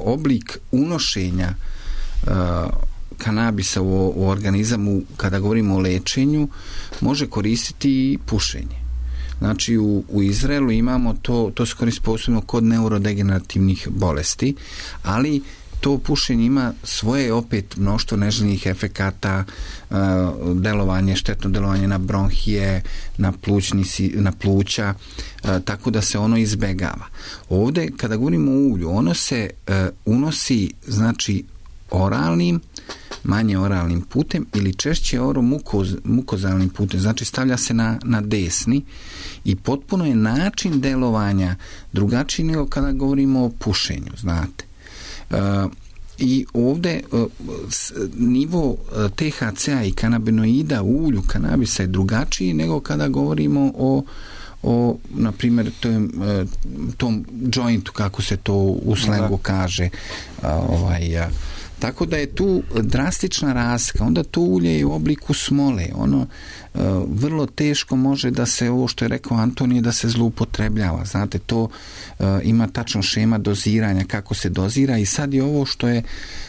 oblik unošenja kanabisa u, u organizam, kada govorimo o lečenju, može koristiti i pušenje. Znači u, u Izraelu imamo to, to se koristi posebno kod neurodegenerativnih bolesti, ali to pušenje ima svoje opet mnoštvo neželjenih efekata, uh, delovanje, štetno delovanje na bronhije, na, plućni, na pluća, uh, tako da se ono izbegava. Ovde, kada govorimo o ulju, ono se uh, unosi, znači, oralnim, manje oralnim putem ili češće oromukoz, mukozalnim putem, znači stavlja se na, na desni i potpuno je način delovanja drugačiji nego kada govorimo o pušenju, znate. Uh, i ovde uh, s, nivo uh, T H C-a i kanabinoida u ulju kanabisa je drugačiji nego kada govorimo o o, na primjer, tom, tom jointu, kako se to u slengu kaže, uh, ovaj, uh, tako da je tu drastična razlika. Onda to ulje je u obliku smole. Ono uh, vrlo teško može da se, ovo što je rekao Antonije, da se zloupotrebljava. Znate, to uh, ima tačno šema doziranja, kako se dozira i sad je ovo što je,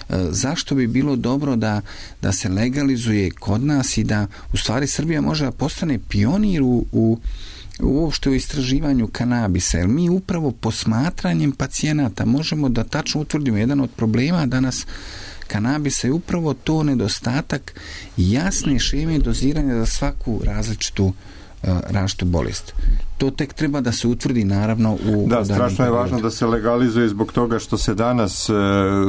uh, zašto bi bilo dobro da, da se legalizuje kod nas i da u stvari Srbija može da postane pionir u, u uopšte u istraživanju kanabisa, jer mi upravo posmatranjem pacijenata možemo da tačno utvrdimo jedan od problema danas kanabisa je upravo to nedostatak jasne šeme doziranja za svaku različitu različitu bolest. To tek treba da se utvrdi naravno u... Da, strašno je važno da se legalizuje zbog toga što se danas e,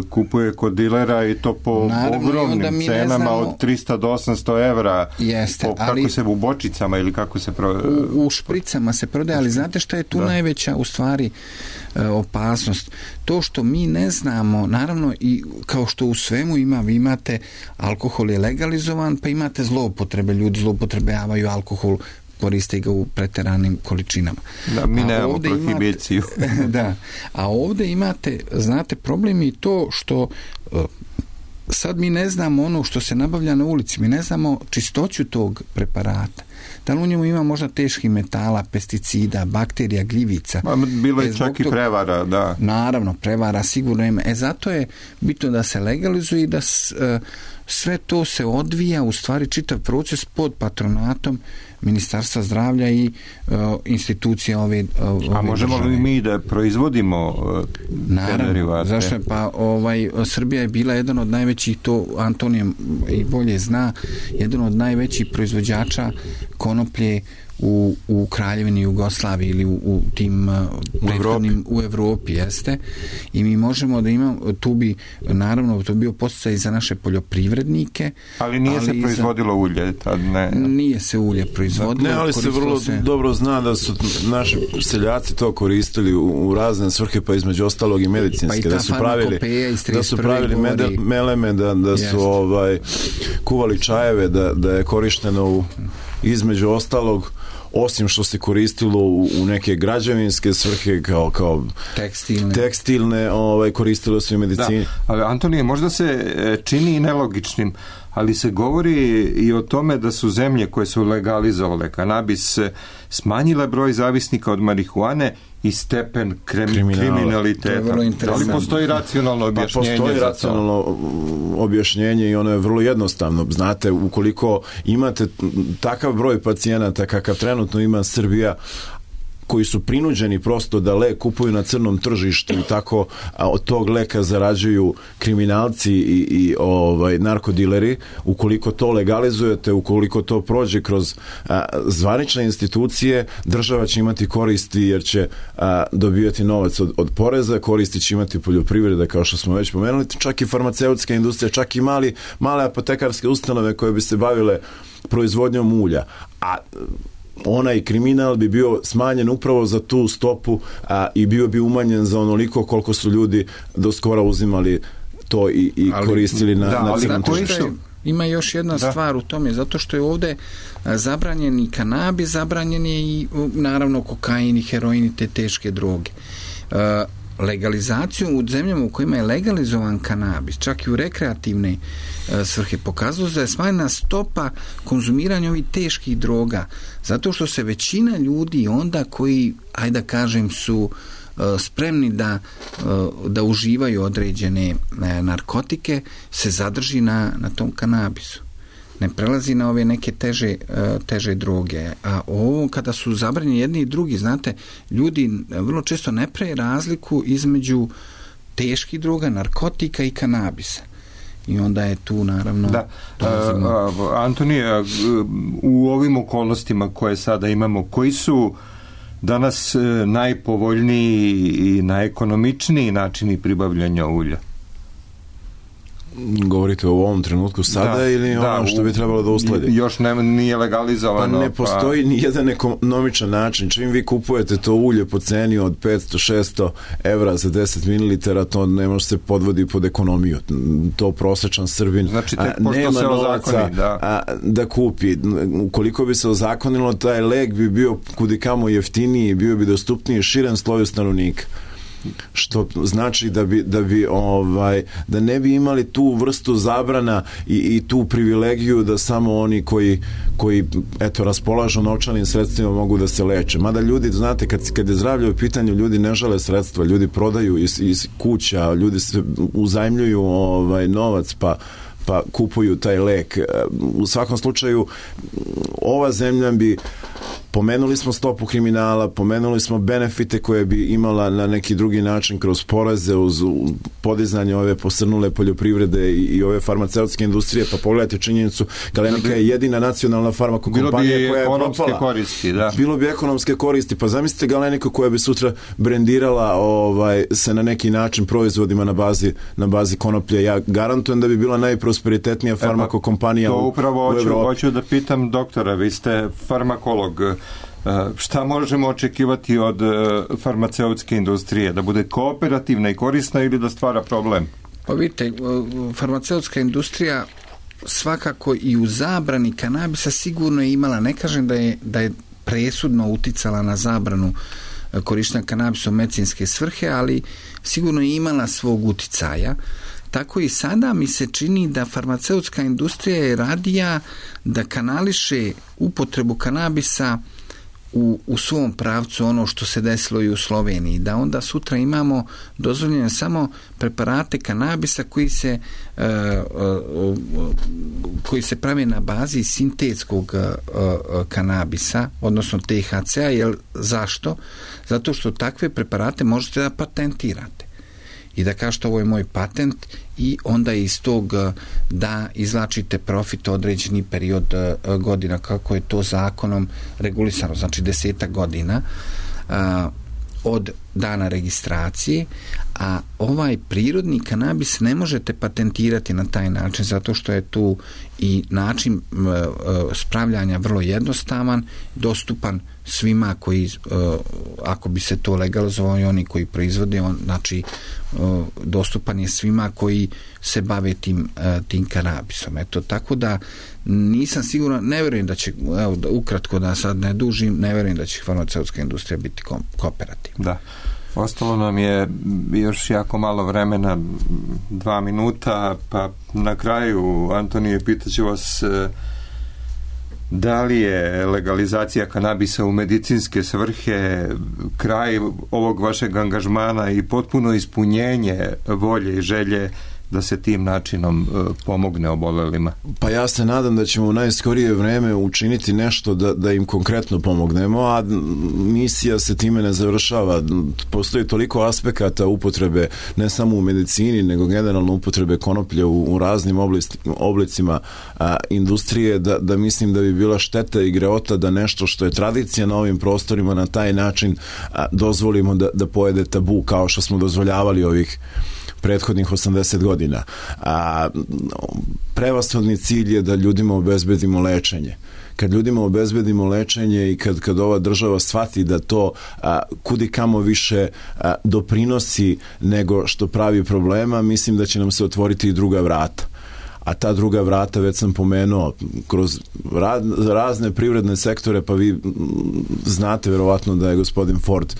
kupuje kod dilera i to po naravno, ogromnim cenama znamo, od trista do osamsto evra. Jeste, po, kako ali, se u bočicama ili kako se... Pro... U, u špricama se prodaje, ali znate šta je tu da. najveća u stvari e, opasnost? To što mi ne znamo, naravno i kao što u svemu ima, vi imate, alkohol je legalizovan, pa imate zloupotrebe, ljudi zloupotrebljavaju alkohol, koriste ga u preteranim količinama. Da, mi nemamo prohibiciju. Da, a ovdje imate, znate, problem je to što uh, sad mi ne znamo ono što se nabavlja na ulici, mi ne znamo čistoću tog preparata. Da li u njemu ima možda teških metala, pesticida, bakterija, gljivica? Ma, bilo je e, čak i prevara, da. Naravno, prevara sigurno ima. E zato je bitno da se legalizuje i da s, e, sve to se odvija, u stvari čitav proces pod patronatom Ministarstva zdravlja i uh, institucija ove, ove A možemo države. li mi da proizvodimo uh, te derivate? Zašto je? Pa ovaj, Srbija je bila jedan od najvećih, to Antonije i bolje zna, jedan od najvećih proizvođača konoplje u, u Kraljevini Jugoslaviji ili u, u tim u prethodnim u Evropi, jeste. I mi možemo da imamo, tu bi naravno to bio podsticaj za naše poljoprivrednike. Ali nije ali se proizvodilo za, ulje tad, ne? Nije se ulje proizvodilo. Ne, ali se vrlo se... dobro zna da su naši seljaci to koristili u, u razne svrhe, pa između ostalog i medicinske, pa i da su pravili da su pravili mede, meleme, da, da su Jest. ovaj kuvali čajeve, da, da je korišteno u, između ostalog, osim što se koristilo u, u neke građevinske svrhe kao, kao tekstilne, tekstilne ovaj, koristilo se i medicini. Da, ali Antonije, možda se čini i nelogičnim, ali se govori i o tome da su zemlje koje su legalizovale kanabis smanjile broj zavisnika od marihuane i stepen krem, kriminaliteta. Da li postoji racionalno objašnjenje? Pa postoji racionalno objašnjenje i ono je vrlo jednostavno. Znate, ukoliko imate takav broj pacijenata kakav trenutno ima Srbija, koji su prinuđeni prosto da lek kupuju na crnom tržištu i tako a, od tog leka zarađuju kriminalci i, i ovaj, narkodileri, ukoliko to legalizujete, ukoliko to prođe kroz a, zvanične institucije, država će imati koristi jer će a, dobijati novac od, od poreza, koristi će imati poljoprivreda, kao što smo već pomenuli, čak i farmaceutska industrija, čak i mali, male apotekarske ustanove koje bi se bavile proizvodnjom ulja. A onaj kriminal bi bio smanjen upravo za tu stopu a, i bio bi umanjen za onoliko koliko su ljudi do skora uzimali to i, i ali, koristili na, da, na crnom tržištu. Ima još jedna da. stvar u tome, zato što je ovde zabranjen i kanabis, zabranjen je i naravno kokain i heroin i te teške droge. Uh, legalizaciju u zemljama u kojima je legalizovan kanabis, čak i u rekreativne e, svrhe, pokazuje da je smanjena stopa konzumiranja ovih teških droga, zato što se većina ljudi onda koji, ajde da kažem, su e, spremni da, e, da uživaju određene e, narkotike, se zadrži na, na tom kanabisu. Ne prelazi na ove neke teže, teže droge. A ovo kada su zabranjeni jedni i drugi, znate, ljudi vrlo često ne prave razliku između teških droga, narkotika i kanabisa. I onda je tu naravno... Da. A, Antonije, u ovim okolnostima koje sada imamo, koji su danas najpovoljniji i najekonomičniji načini pribavljanja ulja? Govorite o ovom trenutku sada da, ili da, ono što bi trebalo da usledi? Još ne, nije legalizovano. Pa ne postoji pa... ni jedan ekonomičan način. Čim vi kupujete to ulje po ceni od petsto šesto evra za deset mililitara, to ne može se podvodi pod ekonomiju. To prosječan Srbin znači, tek a, nema se novaca ozakoni, da. A, da kupi. Ukoliko bi se ozakonilo, taj lek bi bio kudikamo jeftiniji, bio bi dostupniji širem sloju stanovnika. Što znači da bi, da bi ovaj, da ne bi imali tu vrstu zabrana i, i tu privilegiju da samo oni koji, koji eto, raspolažu novčanim sredstvima mogu da se leče. Mada ljudi, znate, kad, kad je zdravlje u pitanju, ljudi ne žele sredstva, ljudi prodaju iz, iz kuća, ljudi se uzajmljuju ovaj, novac pa pa kupuju taj lek. U svakom slučaju ova zemlja bi, pomenuli smo stopu kriminala, pomenuli smo benefite koje bi imala na neki drugi način kroz poreze uz podizanje ove posrnule poljoprivrede i, i ove farmaceutske industrije, pa pogledajte činjenicu, Galenika je jedina nacionalna farmakokompanija koja je propala. Koristi, da. Bilo bi ekonomske koristi, pa zamislite Galeniku koja bi sutra brendirala ovaj, se na neki način proizvodima na bazi, na bazi konoplje. Ja garantujem da bi bila najprosperitetnija farmakokompanija u, u Evropi. To upravo hoću, hoću da pitam doktora, vi ste farmakolog. Šta možemo očekivati od farmaceutske industrije? Da bude kooperativna i korisna ili da stvara problem? Pa vidite, farmaceutska industrija svakako i u zabrani kanabisa sigurno je imala, ne kažem da je, da je presudno uticala na zabranu korištenja kanabisa u medicinske svrhe, ali sigurno je imala svog uticaja. tako i sada mi se čini da farmaceutska industrija je radija da kanališe upotrebu kanabisa u, u svom pravcu ono što se desilo i u Sloveniji, da onda sutra imamo dozvoljene samo preparate kanabisa koji se uh, uh, uh, koji se prave na bazi sintetskog uh, uh, kanabisa, odnosno T H C-a. Jer zašto? Zato što takve preparate možete da patentirate i da kažete ovo je moj patent i onda iz tog da izvlačite profit određeni period godina kako je to zakonom regulisano, znači desetak godina a, od dana registracije, a ovaj prirodni kanabis ne možete patentirati na taj način zato što je tu i način spravljanja vrlo jednostavan, dostupan svima koji, ako bi se to legalizovalo i oni koji proizvode, on, znači dostupan je svima koji se bave tim, tim kanabisom. Eto, tako da nisam siguran, ne vjerujem da će, evo, da ukratko da sad ne dužim, ne vjerujem da će farmaceutska industrija biti kooperativna. Da. Ostalo nam je još jako malo vremena, dva minuta, pa na kraju, Antonije, pitaću vas da li je legalizacija kanabisa u medicinske svrhe kraj ovog vašeg angažmana i potpuno ispunjenje volje i želje da se tim načinom uh, pomogne obolelima? Pa ja se nadam da ćemo u najskorije vreme učiniti nešto da, da im konkretno pomognemo, a misija se time ne završava. Postoji toliko aspekata upotrebe, ne samo u medicini, nego generalno upotrebe konoplje u, u raznim oblis, oblicima a, industrije, da, da mislim da bi bila šteta i greota da nešto što je tradicija na ovim prostorima na taj način a, dozvolimo da, da pojede tabu, kao što smo dozvoljavali ovih prethodnih osamdeset godina. A, prevashodni cilj je da ljudima obezbedimo lečenje. Kad ljudima obezbedimo lečenje i kad, kad ova država shvati da to a, kudi kamo više a, doprinosi nego što pravi problema, mislim da će nam se otvoriti i druga vrata. A ta druga vrata, već sam pomenuo, kroz razne privredne sektore, pa vi znate verovatno da je gospodin Ford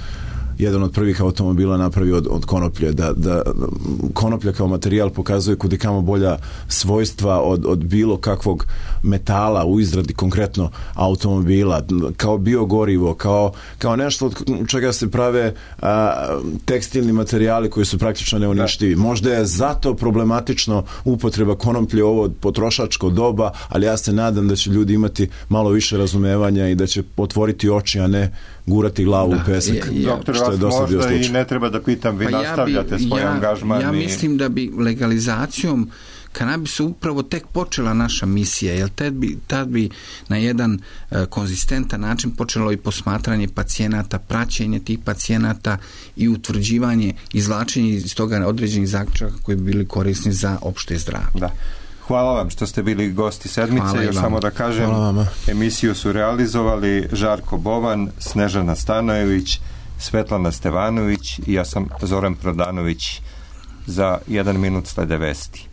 jedan od prvih automobila napravio od, od konoplje, da, da konoplja kao materijal pokazuje kudikamo bolja svojstva od, od bilo kakvog metala u izradi konkretno automobila, kao biogorivo, kao, kao nešto od čega se prave a, tekstilni materijali koji su praktično neuništivi. Možda je zato problematično upotreba konoplje ovo potrošačko doba, ali ja se nadam da će ljudi imati malo više razumevanja i da će otvoriti oči, a ne gurati glavu da, u pesak. Ja, ja, Doktor, što je dosta bio slučaj. I ne treba da pitam, vi pa nastavljate ja bi, svoj ja, angažman. Ja i... mislim da bi legalizacijom kanabisa upravo tek počela naša misija, jer tad bi, tad bi na jedan uh, konzistentan način počelo i posmatranje pacijenata, praćenje tih pacijenata i utvrđivanje, izvlačenje iz toga određenih zaključaka koji bi bili korisni za opšte zdravlje. Da. Hvala vam što ste bili gosti sedmice. Hvala Još samo da kažem, emisiju su realizovali Žarko Bovan, Snežana Stanojević, Svetlana Stevanović i ja sam Zoran Prodanović. Za jedan minut slede vesti.